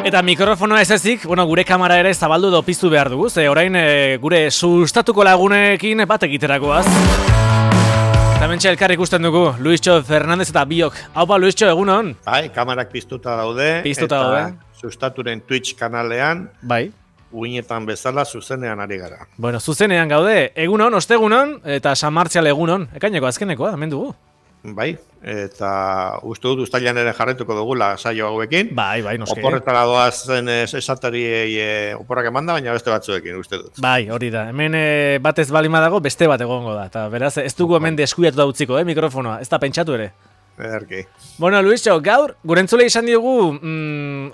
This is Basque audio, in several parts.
Eta mikrofonoa ez ezik, gure kamera ere zabaldu edo piztu behar dugu, ze orain gure sustatuko lagunekin bat egiterakoaz. Eta mentxe elkar ikusten dugu, Luisxo Fernandez eta biok. Haupa, Luisxo, egunon? Bai, kamerak piztuta daude. Piztuta daude. Sustaturen Twitch kanalean. Bai. Uinetan bezala zuzenean ari gara. Bueno, zuzenean gaude, egunon, ostegunon, eta San Martzial egunon. Ekaineko azkenekoa, hemen dugu. Bai, eta uste dut uztailan ere jarretuko dugula saio hauekin. Bai, noski. Oporretara doazen esatariei oporrak emanda, baina beste batzuekin, uste dut. Bai, hori da. Hemen batez balima dago, beste bat egongo da. Eta beraz, ez dugu hemen deskuiatu da utziko, mikrofonoa. Ez da pentsatu ere. Ederki. Bueno, Luisxo, gaur, gurentzule izan diogu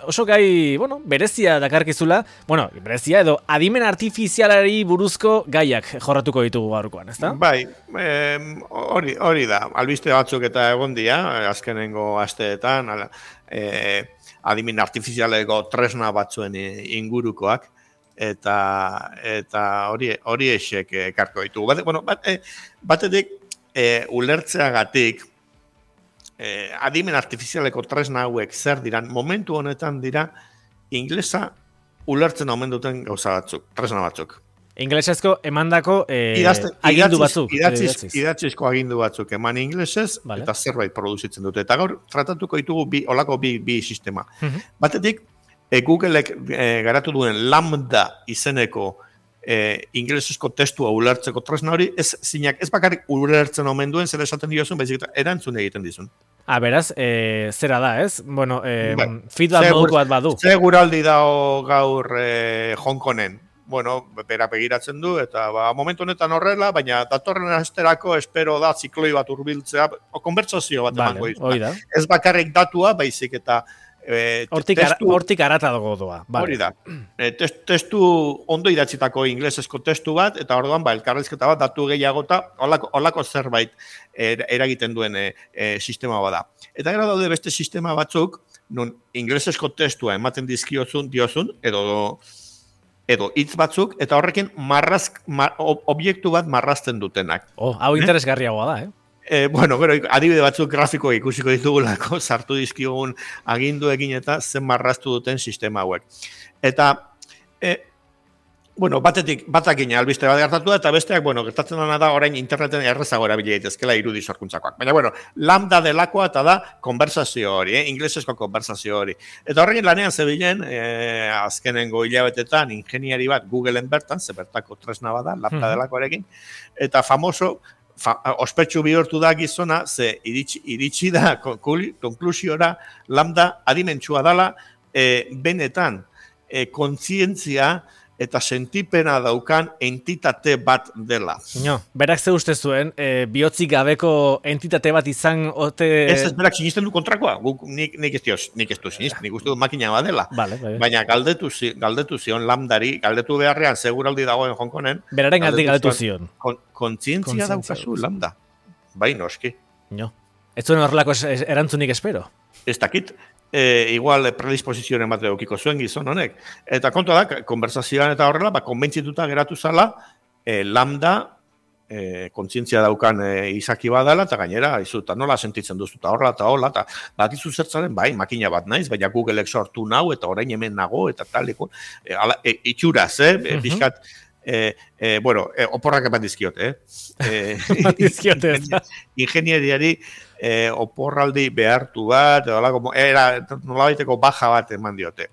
oso gai, berezia dakarkizula. Bueno, berezia edo adimen artifizialari buruzko gaiak jorratuko ditugu gaurkoan, ezta? Bai, hori da. Albiste batzuk eta egon dira, azkenengo asteetan, adimen artifizialeko tresna batzuen ingurukoak, eta hori esek ekarko ditugu. Batetik, ulertzeagatik, adimen artifizialeko tresna hauek zer diran, momentu honetan dira inglesa ulertzen omen duten gauza batzuk, tresna batzuk. Inglesezko emandako agindu batzuk. Idatzizko agindu batzuk eman inglesez, vale. Eta zerbait produzitzen dute. Eta gaur tratatuko ditugu olako bi sistema. Batetik, Googleek garatu duen Lambda izeneko inglesezko testua ulertzeko tresna hori, ez bakarrik ulertzen omen duen, zer esaten diozun, baizik eta erantzun egiten dizun. Beraz, zera da, ez? Bueno, feedback moduko bat badu. Seguraldi dao gaur Hong Kongen. Bueno, bera begiratzen du, eta momentu honetan horrela, baina datorren asterako espero da zikloi bat urbiltzea, konbertsazio bat emango izan. Ez bakarrik datua, baizik eta hortik arata dago doa. Hori da. Testu ondo idatzitako inglesezko testu bat, eta orduan elkarrizketa bat datu gehiagota holako zerbait eragiten duen sistema bada. Eta gara daude beste sistema batzuk, non inglesezko testua ematen diozun, edo hitz batzuk, eta horrekin objektu bat marrazten dutenak. Hau interesgarriagoa da, Gero, adibide batzuk grafiko ikusiko ditugulako, sartu dizkigun aginduekin eta zen marraztu duten sistema hauek. Eta, batakin albiste bat gertatu da, eta besteak, gertatzen dena da orain interneten errezago erabili daitezkela irudi sorkuntzakoak. Baina, lambda delakoa eta da konversazio hori, inglesezko konversazio hori. Eta horrekin lanean zebilen, azkenengo hilabetetan, ingeniari bat Googleen bertan, zebertako tresna bada, lambda delakoarekin, eta famoso, ospetsu bihurtu da gizona, ze iritsi da konklusiora lambda adimentsua dela benetan kontzientzia eta sentipena daukan entitate bat dela. Berak ze uste zuen, bihotzik gabeko entitate bat izan ote... Ez berak sinisten du kontrakoa, nik ez du sinisten, nik uste du makina bat dela. Baina galdetu zion lambdari, galdetu beharrean seguraldi dagoen Hong Kongen. Beraren galdetu zion. Kontzientzia daukazu lambda. Bai, noski. Ez zuen horrelako erantzunik espero. Ez dakit. Igual predisposizioen bat eukiko zuen gizon honek. Eta kontua da, konversazioan eta horrela, konbentzituta geratu zala, lambda, kontzientzia daukan izaki badala, eta gainera, izuta nola sentitzen duzu, eta horrela, eta hola, eta bakizu zertzaren, bai, makina bat naiz, baina Googleek sortu nau, eta orain hemen nago, eta taliko, itxuraz, bizkat, oporrak eman dizkiot, ingenieriari oporraldi behartu bat, nolabaiteko baja bat eman diote.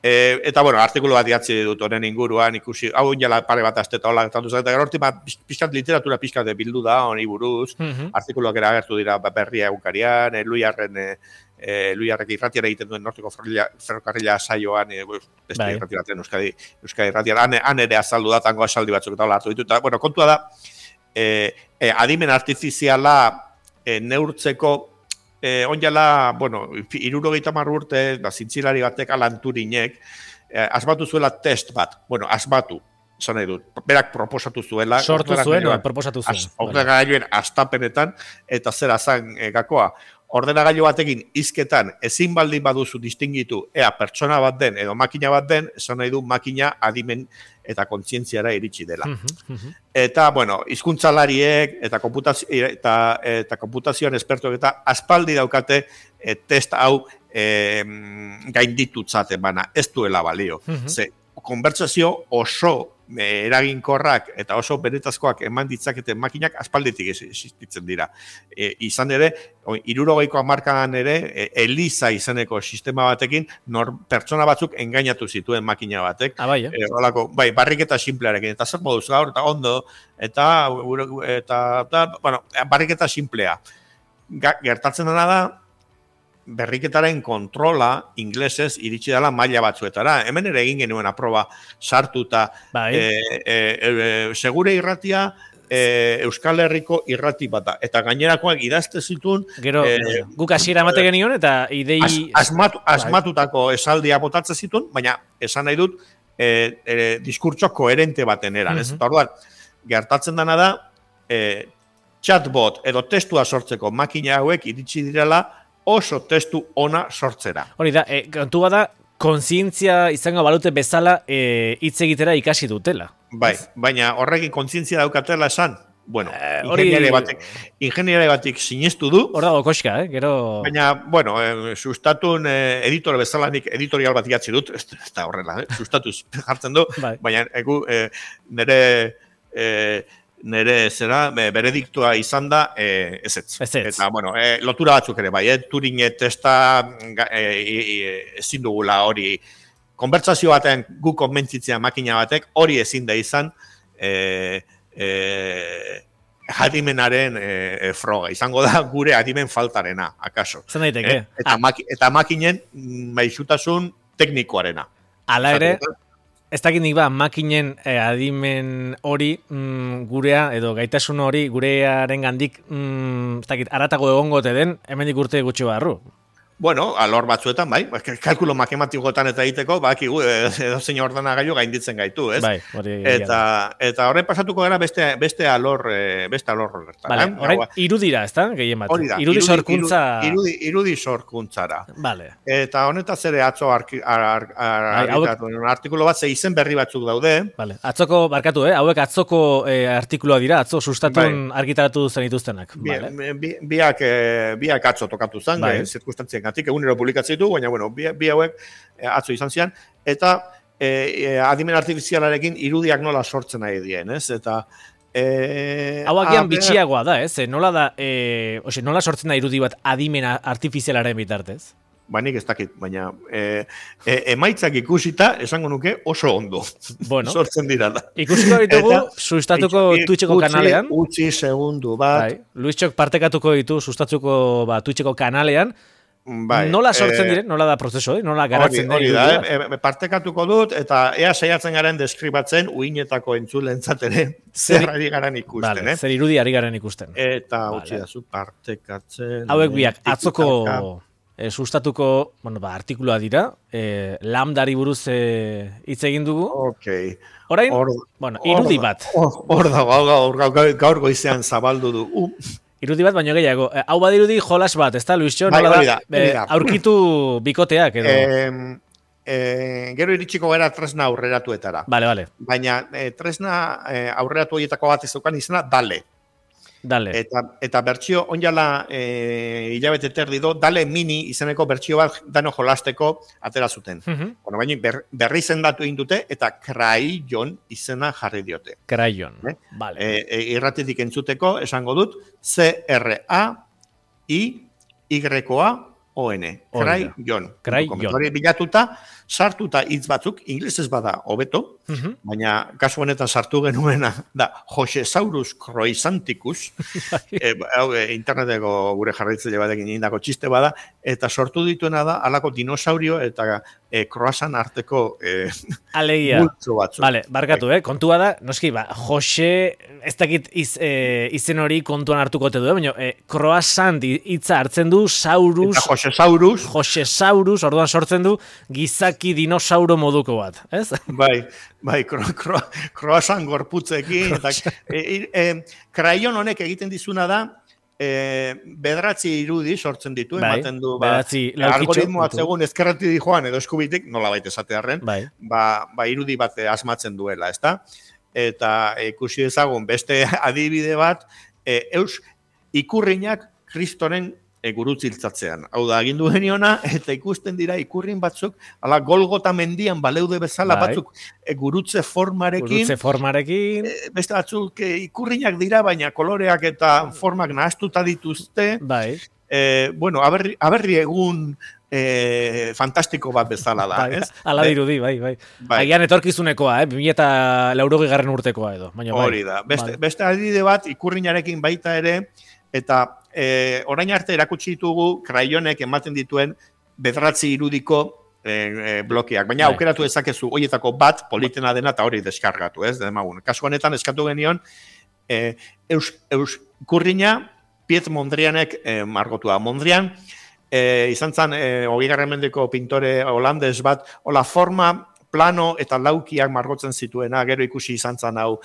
Eta, artikulu bat idatzi dut honen inguruan, ikusi, hau jala pare bat azteta hola, eta gero horti pixkat literatura pixkat bildu da, honi buruz, artikuluak eragertu dira berria egunkarian, Luiarrek irratiara egiten duen norteko ferrokarrila saioan, beste irratiratzen Euskadi irratiara, han ere azaldu da, tango asaldi batzuk eta hola hartu ditu, eta, kontua da, adimen artifiziala neurtzeko, onjala, 60 urte, zintzilari batek Alan Turinek, asmatu zuela test bat, asmatu, zan nahi dut, berak proposatu zuela. Sortu zuen, proposatu zuen. Ordenagailuen astapenetan, eta zera zan gakoa, ordenagailu batekin hizketan ezin baldin baduzu distingitu ea pertsona bat den edo makina bat den, esan nahi du makina adimen eta kontzientziara iritsi dela. Eta, bueno, hizkuntzalariek eta konputazioan espertuek eta aspaldi daukate test hau gainditutzat emana, ez duela balio. Ze, konbertsazio oso eraginkorrak eta oso benetazkoak eman ditzaketen makinak aspalditik existitzen dira. Izan ere, 60ko hamarkadan ere, Eliza izeneko sistema batekin, pertsona batzuk engainatu zituen makina batek. Bai, barriketa simplearekin, eta zer moduz gaur, eta ondo, eta bueno, barriketa simplea. Gertatzen dena da, berriketaren kontrola inglesez iritsi dela maila batzuetara. Hemen ere egin genuen aproba sartuta segure irratia Euskal Herriko irrati bat da. Eta gainerakoak idazte zituen... Gero, guk hasiera emate genion eta idei... Asmatutako esaldia botatzen zituen, baina esan nahi dut diskurtso koherente baten eran. Eta orduan, gertatzen dena da chatbot edo testua sortzeko makina hauek iritsi direla oso testu ona sortzera. Hori da, kontua da, kontzientzia izango balute bezala hitz egitera ikasi dutela. Bai, baina horrekin kontzientzia daukatela esan, bueno, ingeniere batik sinestu du. Hor dago koska, gero... Baina, bueno, sustatun editore bezala nik editorial bat idatzi dut, ez da horrela, sustatuz jartzen du, baina nire zera, berediktua izan da, ezetz. Eta, bueno, lotura batzuk ere, bai, Turing testa ezin dugula hori, konbertsazio batean gu konbentzitzea makina batek, hori ezin da izan adimenaren froga. Izango da gure adimen faltarena, akaso. Zer daiteke? Eta makinen maixutasun teknikoarena. Hala ere, ez dakit nik makinen adimen hori gurea, edo gaitasun hori gurearen gandik, ez dakit, aratago egongote den, hemendik urte gutxi barru. Bueno, alor batzuetan, bai, kalkulo matematikotan eta egiteko, bakigu, edo zein ordenagailu gainditzen gaitu, ez? Bai, eta horren pasatuko gara beste alor horretan. Vale, orain irudira, ez da, gehien bat? Hori da, irudi sorkuntza... Irudi sorkuntzara. Vale. Eta honetaz ere atzo artikulo bat, ze izen berri batzuk daude. Vale, atzoko, barkatu, hauek atzoko artikuloa dira, atzo sustatun argitaratu zen dituztenak. Biak atzo tokatu zen, zirkustantzien egunero publikatzen ditu, baina, bueno, bi hauek atzo izan zian, eta adimen artifizialarekin irudiak nola sortzen nahi dien, ez? Eta... Hau agian bitxiagoa da, ez? Nola da, nola sortzen da irudi bat adimen artifizialaren bitartez? Ba, nik ez dakit, baina emaitzak ikusita, esango nuke oso ondo. Bueno, sortzen dira da. Ikusiko ditugu, sustatuko Twitcheko kanalean. Utzi segundu bat. Luistxok partekatuko ditu, sustatuko Twitcheko kanalean. Nola sortzen diren, nola da prozeso, nola garatzen hori da, partekatuko dut, eta ea saiatzen garen deskribatzen uinetako entzulentzat ere zer ari garen ikusten. Vale, zer irudi ari garen ikusten. Eta utzi dazu partekatzen. Hauek biak, atzoko sustatuko artikuloa dira, lambdari buruz hitz egin dugu. Orain, irudi bat. Hor dago, gaur goizean zabaldu du. Irudi bat, baino gehiago. Hau badirudi jolas bat, ez da, Luisxo? Nola da, aurkitu bikoteak edo? Gero iritsiko gara tresna aurreratuetara. Bale. Baina tresna aurreratu horietako bat ez dukan izena, Dale. Eta bertsio, onjala hilabete terdi do, Dale Mini izeneko bertsio bat dano jolasteko atera zuten. Bueno, baina berri zendatu indute eta Crayon izena jarri diote. Crayon, vale. Irratitik entzuteko, esango dut, C-R-A-I-Y-O-N. Crayon. Hori bilatuta, sartuta hitz batzuk, inglesez bada hobeto, baina kasu honetan sartu genuena da Josesaurus croissanticus, interneteko gure jarraitzaile batekin indako txiste bada, eta sortu dituena da halako dinosaurio eta croissant arteko multzo batzuk. Vale, barkatu, kontua da, noski, Jose, ez dakit izen hori kontuan hartuko te du, baina croissant hitza hartzen du, saurus... Eta Josesaurus, orduan sortzen du, gizaki dinosauro moduko bat, ez? Bai, croissant gorputzekin, eta Crayon honek egiten dizuna da, bederatzi irudi sortzen ditu, ematen du, algoritmoa segun ezkerrati di joan edo eskubitik, nola baita esatearren, irudi bat asmatzen duela, ezta? Eta ikusi dezagun beste adibide bat, ikurrinak Kristoren gurutziltzatzean. Hau da, agindu geniona, eta ikusten dira ikurrin batzuk, ala Golgota mendian baleude bezala batzuk gurutze formarekin. Beste batzuk ikurrinak dira, baina koloreak eta formak nahaztuta dituzte. Bueno, aberri egun fantastiko bat bezala da, ez? Ala dirudi, bai. Agian etorkizunekoa, 2080 urtekoa edo. Hori da. Beste adibide bat, ikurrinarekin baita ere, eta orain arte erakutsi ditugu kraionek ematen dituen bederatzi irudiko blokeak, baina aukeratu dezakezu horietako bat politena dena eta hori deskargatu, ez? Kasu honetan eskatu genion Ikurrina Piet Mondrianek margotua. Mondrian izan zen 20. mendeko pintore holandes bat, hola forma plano eta laukiak margotzen zituena, gero ikusi izan zen hau,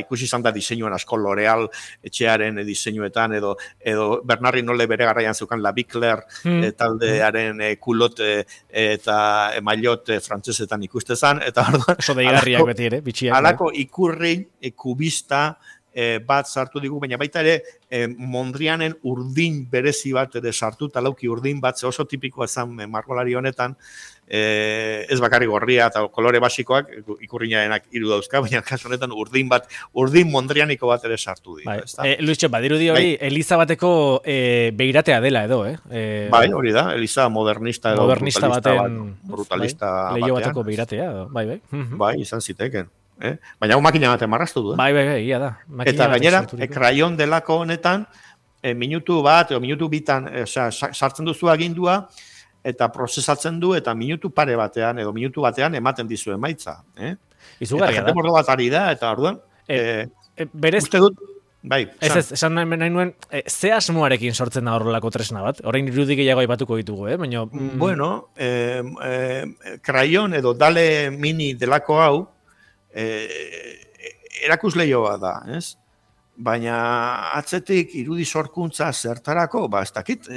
ikusi izan da diseinuan asko L'Oreal etxearen diseinuetan, edo Bernard Hinault bere garaian zeukan La Bicler taldearen kulot eta maillot frantsesetan ikuste zen, eta oso deigarriak beti ere, bitxiak. Halako ikurrin kubista bat sartu digu, baina baita ere Mondrianen urdin berezi bat ere sartu, talauki urdin bat, oso tipikoa zen margolari honetan, ez bakarrik gorria eta kolore basikoak, ikurrinarenak 3 dauzka, baina kasu honetan urdin mondrianiko bat ere sartu dira. Luischo, badirudi hori Eliza bateko beiratea dela edo, Bai, hori da, Eliza modernista edo brutalista batean. Leio bateko beiratea edo, bai. Bai, izan ziteken. Baina hau makina batean marraztu du. Bai, ia da. Eta gainera, krayon delako honetan, minutu bat, edo minutu bitan, sartzen duzu agindua, eta prozesatzen du, eta minutu pare batean, edo minutu batean ematen dizu emaitza. Izugarria da. Eta jende mordo bat ari da, eta orduan, uste dut, bai. Esan nahi nuen, ze asmoarekin sortzen da horrelako tresna bat? Orain irudi gehiago aipatuko ditugu, baina... Bueno, krayon edo dale mini delako hau, erakusleio bat da, ez? Baina atzetik irudi sorkuntza zertarako, ez dakit,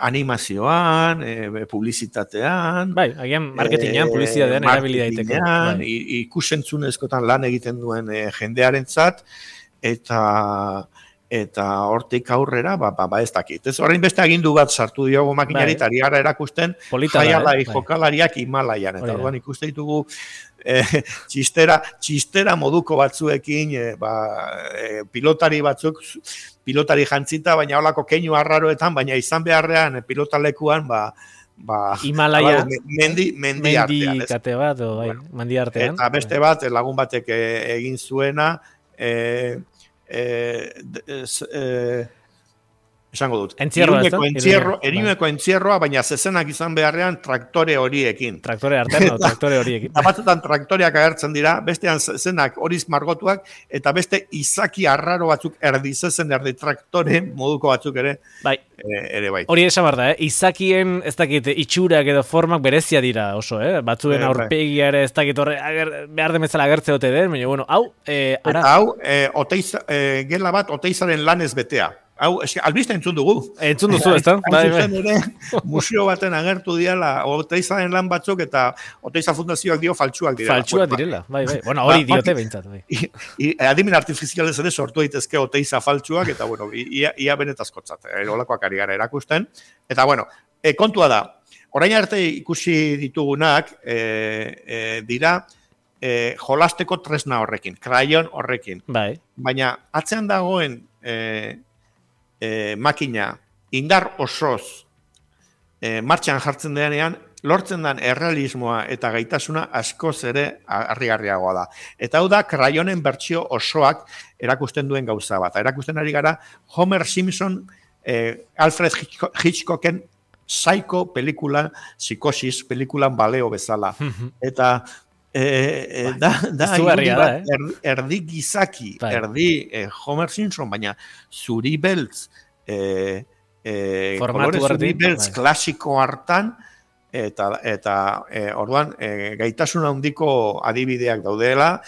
animazioan, publizitatean, bai, agian marketingean, publizitatean erabili daiteke. Ikusentzunezkotan lan egiten duen jendearentzat, eta hortik aurrera, ez dakit. Ez orain beste agindu bat sartu diogu makinari, eta ari gara erakusten jaialai jokalariak Himalaian. Eta orduan ikuste ditugu txistera moduko batzuekin, pilotari batzuk, pilotari jantzita, baina holako keinu arraroetan, baina izan beharrean pilotalekuan, Himalaya, mendi artean. Mendi artean. Eta beste bat, lagun batek egin zuena, esango dut. Erinueko entzierroa, baina zezenak izan beharrean traktore horiekin. Traktore horiekin. Batzutan traktoreak agertzen dira, bestean zezenak horiz margotuak, eta beste izaki arraro batzuk erdi traktore moduko batzuk ere. Bai. Hori esan behar da, izakien ez dakit itxurak edo formak berezia dira oso, batzuen aurpegia ere ez dakit horre behar demezala agertze dute den, baina bueno, hau, ara. Eta hau, gela bat oteizaren lanez betea. Hau, albista entzun dugu. Entzun duzu, ez da? Museo baten agertu diala, Oteizaren lan batzuk eta Oteiza Fundazioak dio faltsuak direla. Faltsuak direla, bai. Bueno, hori diote behintzat. Adimen artifizialez ere sortu daitezke Oteiza faltsuak, eta bueno, ia benetazkotzat, olakoak ari gara erakusten. Eta bueno, kontua da, orain arte ikusi ditugunak dira jolasteko tresna horrekin, krayon horrekin. Baina atzean dagoen makina indar osoz martxan jartzen denean, lortzen den errealismoa eta gaitasuna askoz ere harrigarriagoa da. Eta hau da, krayonen bertsio osoak erakusten duen gauza bat. Erakusten ari gara, Homer Simpson, Alfred Hitchcocken Psycho pelikula, psikosis pelikulan baleo bezala. Eta erdi gizaki, erdi Homer Simpson, baina zuri beltz, kolore zuri beltz klasiko hartan, eta orduan gaitasun handiko adibideak daudela,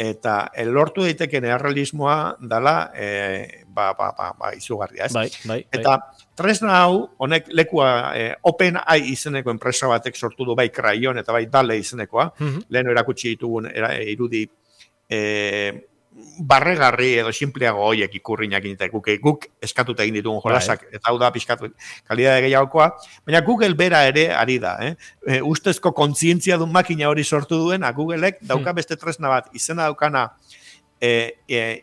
eta lortu daiteken errealismoa dala izugarria, ez? Bai. Eta tresna hau, honek lekua OpenAI izeneko enpresa batek sortu du bai Crayon eta bai DALL-E izenekoa, lehen erakutsi ditugun irudi barregarri edo simpleago hoiek ikurrinak eta guk eskatuta egin ditugun jolasak, eta hau da pixkatu kalidade gehiagokoa, baina Google bera ere ari da, ustezko kontzientzia duen makina hori sortu duen, Googleek dauka beste tresna bat, izena daukana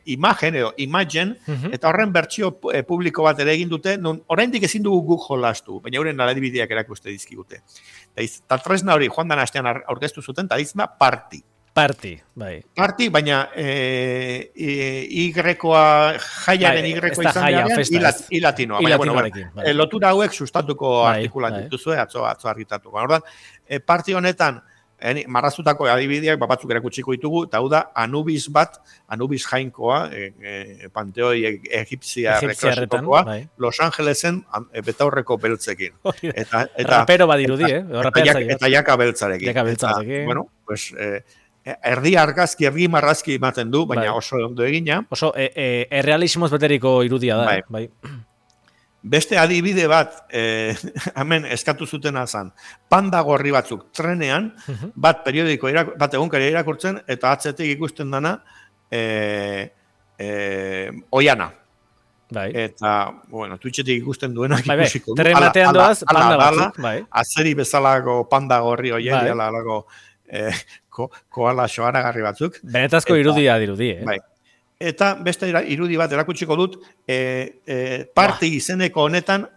imagen edo imagen, eta horren bertsio publiko bat ere egin dute, non oraindik ezin dugu guk jolastu, baina euren adibideak erakuste dizkigute. Eta tresna hori joan dan astean aurkeztu zuten, eta izma Party, baina Y-koa, jaiaren Y-koa izan behar, ilatinoa. Baina, lotura hauek sustatuko artikulan dituzue, atzo argitatuko. Ordan, Party honetan, marraztutako adibideak batzuk erakutsiko ditugu, eta hau da Anubis jainkoa, panteoi egipzia reklasikokoa, Los Angelesen betaurreko beltzekin. Rapero badirudi, eta jaka beltzarekin. Bueno, pues... erdi argazki, erdi marrazki ematen du, baina oso ondo egina. Oso errealismoz beteriko irudia da. Bai. Beste adibide bat, hemen eskatu zutena zan, panda gorri batzuk trenean, bat periodiko, bat egunkari irakurtzen, eta atzetik ikusten dana, oiana. Eta, bueno, Twitchetik ikusten duenak ikusiko. Tren batean doaz, panda batzuk. Atzeri bezalako panda gorri oieri, alako koala soaragarri batzuk. Benetazko irudia dirudi, Bai. Eta beste irudi bat erakutsiko dut, Party izeneko honetan,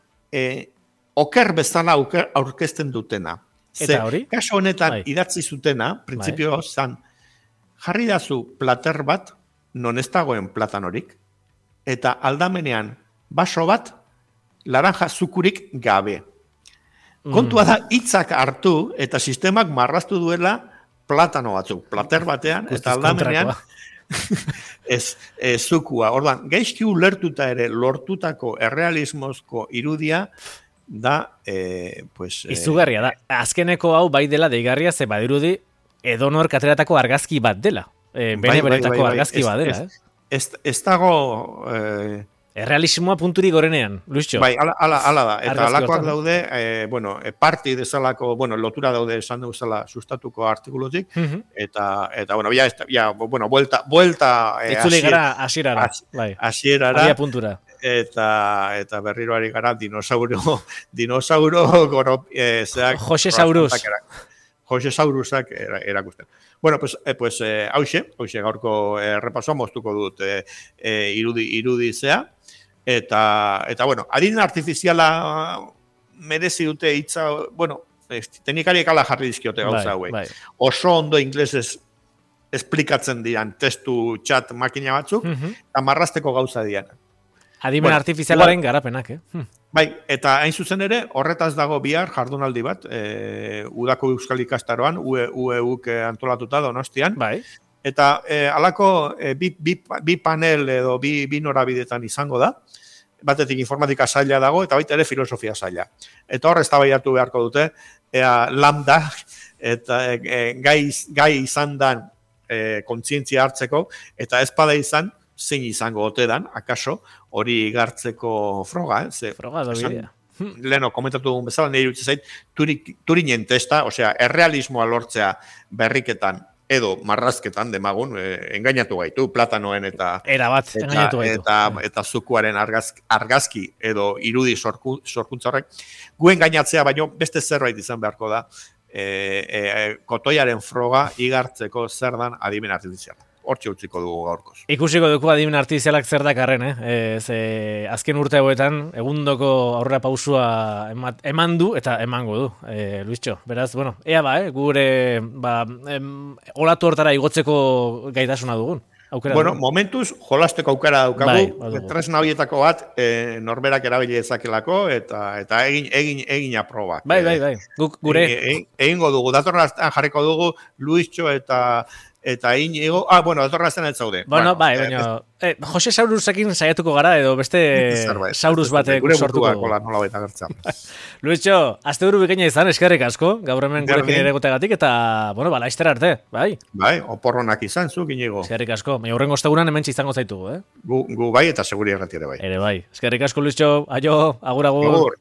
oker bezala aurkezten dutena. Eta hori? Kaso honetan idatzi zutena, printzipio zan, jarri dazu plater bat, non ez dagoen platanorik, eta aldamenean baso bat, laranja zukurik gabe. Kontua da, hitzak hartu, eta sistemak marraztu duela platano batzuk, plater batean, eta aldamenean, zukua. Ordan, gaizki ulertuta ere lortutako errealismozko irudia da, izugarria da. Azkeneko hau bai dela deigarria, ze badirudi edonor kateratako argazki bat dela. Bene-benetako argazki bat dela. Ez dago... Errealismoa punturi gorenean, Luisio. Bai, ala da. Eta alakoak daude, Party desalako, lotura daude esan duzala sustatuko artikulotik, eta vuelta... Itzuli gara asierara. Abia puntura. Eta berriroari gara dinosauro goro... Jose Saurus. Jose Saurusak erakusten. Bueno, pues hauxe gaurko repasoa moztuko dut irudizea. Eta bueno, adin artifiziala merezi dute hitza, teknikariek ala jarri dizkiote gauza hauek. Oso ondo inglesez esplikatzen dian testu chat makina batzuk, eta marrazteko gauza dian. Adimen artifizialaren garapenak, Bai, eta hain zuzen ere, horretaz dago bihar jardunaldi bat, udako euskal ikastaroan, UEUk antolatuta Donostian. Bai. Eta halako bi panel edo bi norabidetan izango da, batetik informatika saila dago, eta baita ere filosofia saila. Eta hor eztabaidatu beharko dute, lambda, eta gai izan dan kontzientzia hartzeko, eta ezpada izan, zein izango ote dan, akaso, hori igartzeko froga, Froga da bidea. Leno, komentatu dugun bezala, nire dutze zait, Turinen testa, osea, errealismoa lortzea berriketan, edo marrazketan demagun, engainatu gaitu, platanoen eta... Erabat, engainatu gaitu. Eta zukuaren argazki edo irudi sorkuntza horrek. Gu engainatzea, baino beste zerbait izan beharko da, kotoiaren froga igartzeko zer dan adimen artifiziala. Hortxe utziko dugu gaurkoz. Ikusiko dugu adimen artifizialak zer dakarren, azken urte hauetan, egundoko aurrera pausua eman du eta emango du, Luisio. Beraz, ea gure olatu hortara igotzeko gaitasuna dugun. Momentuz, jolasteko aukera daukagu, tresna horietako bat norberak erabili dezakelako eta egin aprobak. Bai. Guk gure... Egingo dugu, datorren jarriko dugu Luisio eta eta Inigo, bueno, etorra zen ez zaude. Bueno, bai, baina, Jose Saurusekin saiatuko gara, edo beste Saurus batek sortuko dugu. Gure nola baita gertza. Luischo, azte buru bikaina izan, eskerrik asko, gaur hemen gurekin ere gotegatik, eta, bueno, laiztera arte, bai? Bai, oporronak izan zuk, Inigo. Eskerrik asko, baina hurrengo ostegunan hemen izango zaitugu, Gu bai, eta seguri errati ere bai. Ere bai, eskerrik asko, Luischo, aio, agur.